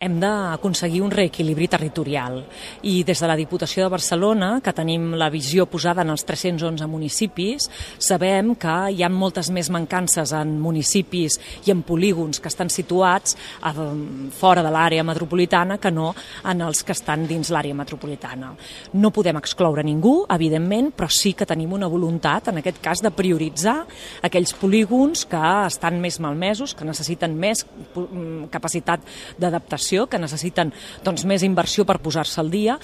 Hem d'aconseguir un reequilibri territorial i des de la Diputació de Barcelona, que tenim la visió posada en els 311 municipis, sabem que hi ha moltes més mancances en municipis i en polígons que estan situats fora de l'àrea metropolitana que no en els que estan dins l'àrea metropolitana. No podem excloure ningú, evidentment, però sí que tenim una voluntat, en aquest cas, de prioritzar aquells polígons que estan més malmesos, que necessiten més capacitat d'adaptació, que necessiten més inversió per posar-se al dia.